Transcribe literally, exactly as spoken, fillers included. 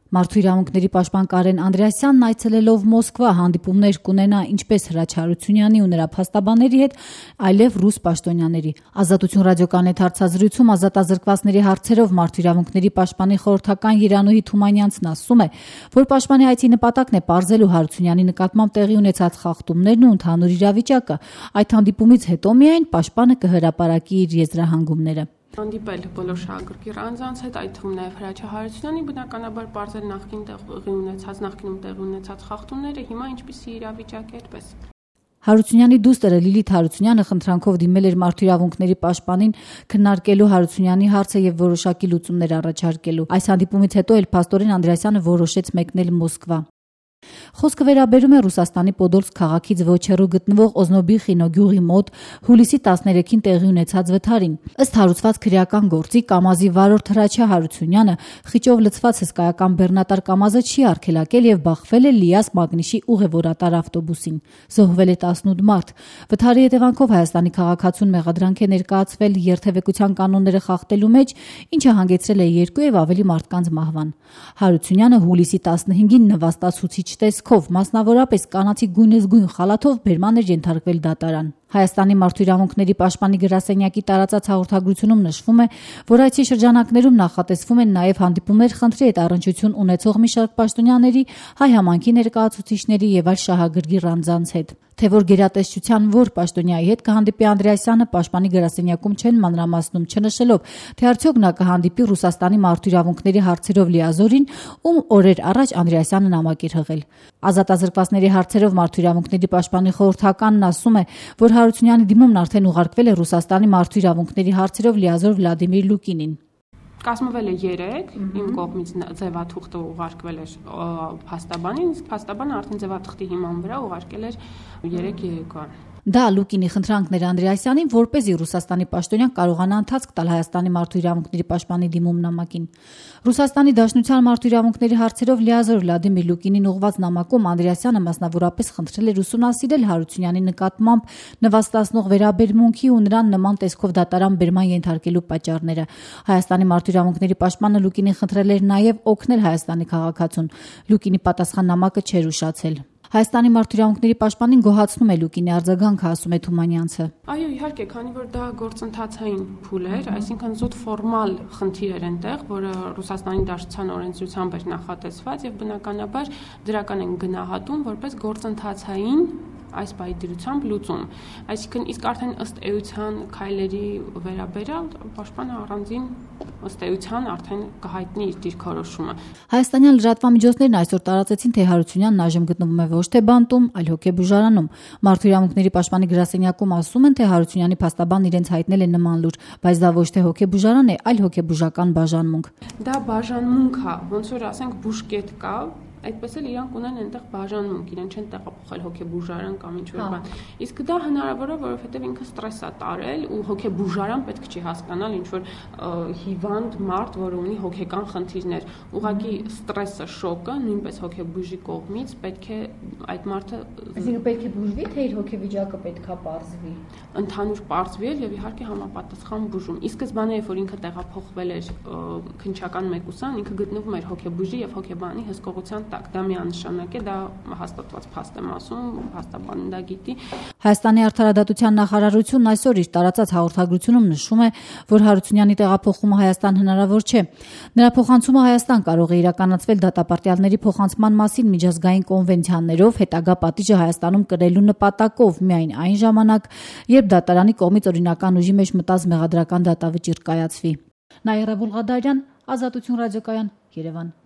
Մարդու իրավունքների պաշտպան Կարեն Անդրեասյանն այցելելով Մոսկվա հանդիպումներ կունենա ինչպես Հրաչ Հարությունյանի ու նրա փաստաբանների հետ, այլև ռուս պաշտոնյաների։ Ազատություն ռադիոկայանի հետ հարցազրույցում ազատազրկվածների հարցերով Մարդու իրավունքների պաշտպանի խորհրդական Երանուհի Թումանյանցն ասում է, որ պաշտպանի այցի նպատակն է պարզելու Հարությունյանի նկատմամբ տեղի ունեցած խախտումներն ու ընդհանուր իրավիճակը։ Այդ հանդիպումից հետո միայն պաշտպանը կհրապարակի իր եզրահանգումները։ Հանդիպել բոլոր շահագրգիռ անձանց հետ, այդ թվում նաև Հրաչ Հարությունյանի, բնականաբար պարզել նախկին տեղի ունեցած, նախկինում տեղի ունեցած խախտումները, հիմա ինչպիսի իրավիճակ է, այդպես։ Հարությունյանի դուստրը Լիլիթ Հարությունյանը խնդրանքով դիմել էր Մարդու իրավունքների պաշտպանին քննարկելու Հարությունյանի հարցը եւ որոշակի լուծումներ առաջարկելու։ Այս հանդիպումից հետո էլ փաստորեն Անդրեասյանը որոշեց մեկնել Մոսկվա։ Խոսքը վերաբերում է Ռուսաստանի Պոդոլսկ քաղաքից ոչ հեռու գտնվող Օզնոբիխինո գյուղի մոտ հուլիսի տասներեքին տեղի ունեցած վթարին։ Ըստ հարուցված քրեական գործի Կամազի վարորդ Հրաչյա Հարությունյանը խիճով լցված հսկայական բեռնատար Կամազը չի արգելակել եւ բախվել է Լիաս Մագնիշի ուղևորատար ավտոբուսին։ Զոհվել է տասնութ մարդ։ Վթարի հետևանքով Հայաստանի քաղաքացուն մեղադրանք է ներկայացվել երթևեկության կանոնները խախտելու մեջ, ինչը հանգեցրել է երկու եւ ավելի մարդկանց մահվան։ Հարությունյանը հուլիսի տասնհինգին նվաստացուցիչ տեսքով, մասնավորապես կանացի գույնզգույն խալաթով բերման էր ենթարկվել դատարան։ Հայաստանի Մարդու իրավունքների պաշտպանի գրասենյակի տարածած հաղորդագրությունում նշվում է, որ այցի շրջանակներում նախատեսվում են նաև հանդիպումներ խնդրի հետ առնչություն ունեցող մի շարք պաշտոնյաների, հայ համայնքի ներկայացուցիչների եւ այլ շահագրգիռ անձանց հետ։ Թե որ գերատեսչության որ պաշտոնյայի հետ կհանդիպի Անդրեասյանը պաշտպանի գրասենյակում չեն մանրամասնում, չնշելով, թե արդյոք նա կհանդիպի Ռուսաստանի մարդու իրավունքների հարցերով լիազորին, ում օրեր առաջ Անդրեասյանը նամակ էր հղել։ Ազատազրկվածների հարցերով մարդու իրավունքների պաշտպանի խորհրդականն ասում է, որ Հարությունյանի դիմումն արդեն ուղարկվել է Ռուսաստանի մարդու իրավունքների հարցերով լիազոր Վլադիմիր Լուկինին։ Կազմվել է երեք, իմ կողմից ձևաթուղթը ուղարկվել էր փաստաբանին, իսկ փաստաբանը արդեն ձևաթղթի հիման վրա ուղարկել էր երեք երեկոյան։ Դա Լուկինի խնդրանքն էր Անդրեասյանին, որպեսզի Ռուսաստանի պաշտոնյան կարողանա ընթացք տալ Հայաստանի մարդու իրավունքների պաշտպանի դիմում նամակին։ Ռուսաստանի Դաշնության մարդու իրավունքների հարցերով լիազոր Վլադիմիր Լուկինին ուղղված նամակում Անդրեասյանը մասնավորապես խնդրել էր ուսումնասիրել Հարությունյանի նկատմամբ նվաստացնող վերաբերմունքի ու նրան նման տեսքով դատարան բերման ենթարկելու պատճառները։ Հայաստանի մարդու իրավունքների պաշտպանը Լուկինին խնդրել էր նաև օգնել Հայաստանի քաղաքացուն։ Լուկինի պատասխան նամակը չէր ուշացել։ Հայաստանի մարդու իրավունքների պաշտպանին գոհացնում է Լուկինի արձագանքը, ասում է Թումանյանցը։ Այո, իհարկե, քանի որ դա գործընթացային փուլ էր, այսինքն զուտ ֆորմալ խնդիր էր այնտեղ, որը Ռուսաստանի Դաշնության օրենսդրությամբ էր նախատեսված եւ բնականաբար դրական են գնահատում որպես գործընթացային այս պայդրությամբ լուծում։ Այսինքն իսկ արդեն ըստ էության քայլերի վերաբերյալ պաշտպանը առանձին ըստ էության արդեն կհայտնի իր դիրքորոշումը։ Հայաստանյան լրատվամիջոցներն այսօր տարածեցին, թե Հարությունյանն այժմ գտնվում է ոչ թե բանտում, այլ հոգեբուժարանում։ Մարդու իրավունքների պաշտպանի գրասենյակում ասում են, թե Հարությունյանի փաստաբանն իրենց հայտնել է նման լուր, բայց դա ոչ թե հոգեբուժարան է, այլ հոգեբուժական բաժանմունք։ Դա բաժանմունք է, ոնց որ ասենք բուժկետ կա, այդպես էլ իրանք ունեն այնտեղ բաժանմունք, իրեն չեն տեղափոխել հոգեբուժարան կամ ինչ-որ բան։ Իսկ դա հնարավոր է, որովհետև ինքը ստրես է տարել ու հոգեբուժարան պետք չի հասկանալ ինչ-որ հիվանդ մարդ, որը ունի հոգեկան խնդիրներ։ Ուղղակի ստրեսը, շոկը նույնպես հոգեբուժի կողմից պետք է այդ մարդը Այսինքն պետք է բուժվի, թե իր հոգեվիճակը պետք է պարզվի։ Ընդհանուր պարզվել եւ իհարկե համապատասխան բուժում։ Իսկ սկզբանե, երբ որ ինքը տեղափոխվել էր քննչական մեկուսան, ինքը գտնվում էր հոգեբուժի եւ հոգեբանի հսկողության տակ։ Դա միանշանակ է, դա հաստատված փաստ եմ ասում, փաստաբանն դա գիտի։ Հայաստանի արդարադատության նախարարությունն այսօր իր տարածած հաղորդագրությունում նշում է, որ Հարությունյանի տեղափոխումը Հայաստան հնարավոր չէ։ Նրա փոխանցումը Հայաստան կարող է իրականացվել դատապարտյալների փոխանցման մասին միջազգային կոնվենցիաներով, հետագա պատիժը Հայաստանում կրելու նպատակով միայն այն ժամանակ, երբ դատարանի կողմից օրինական ուժի մեջ մտած մեղադրական դատավճիռ կայացվի։ Նաիրա Բուլղադարյան, Ազատություն ռադիոկայան, Երևան։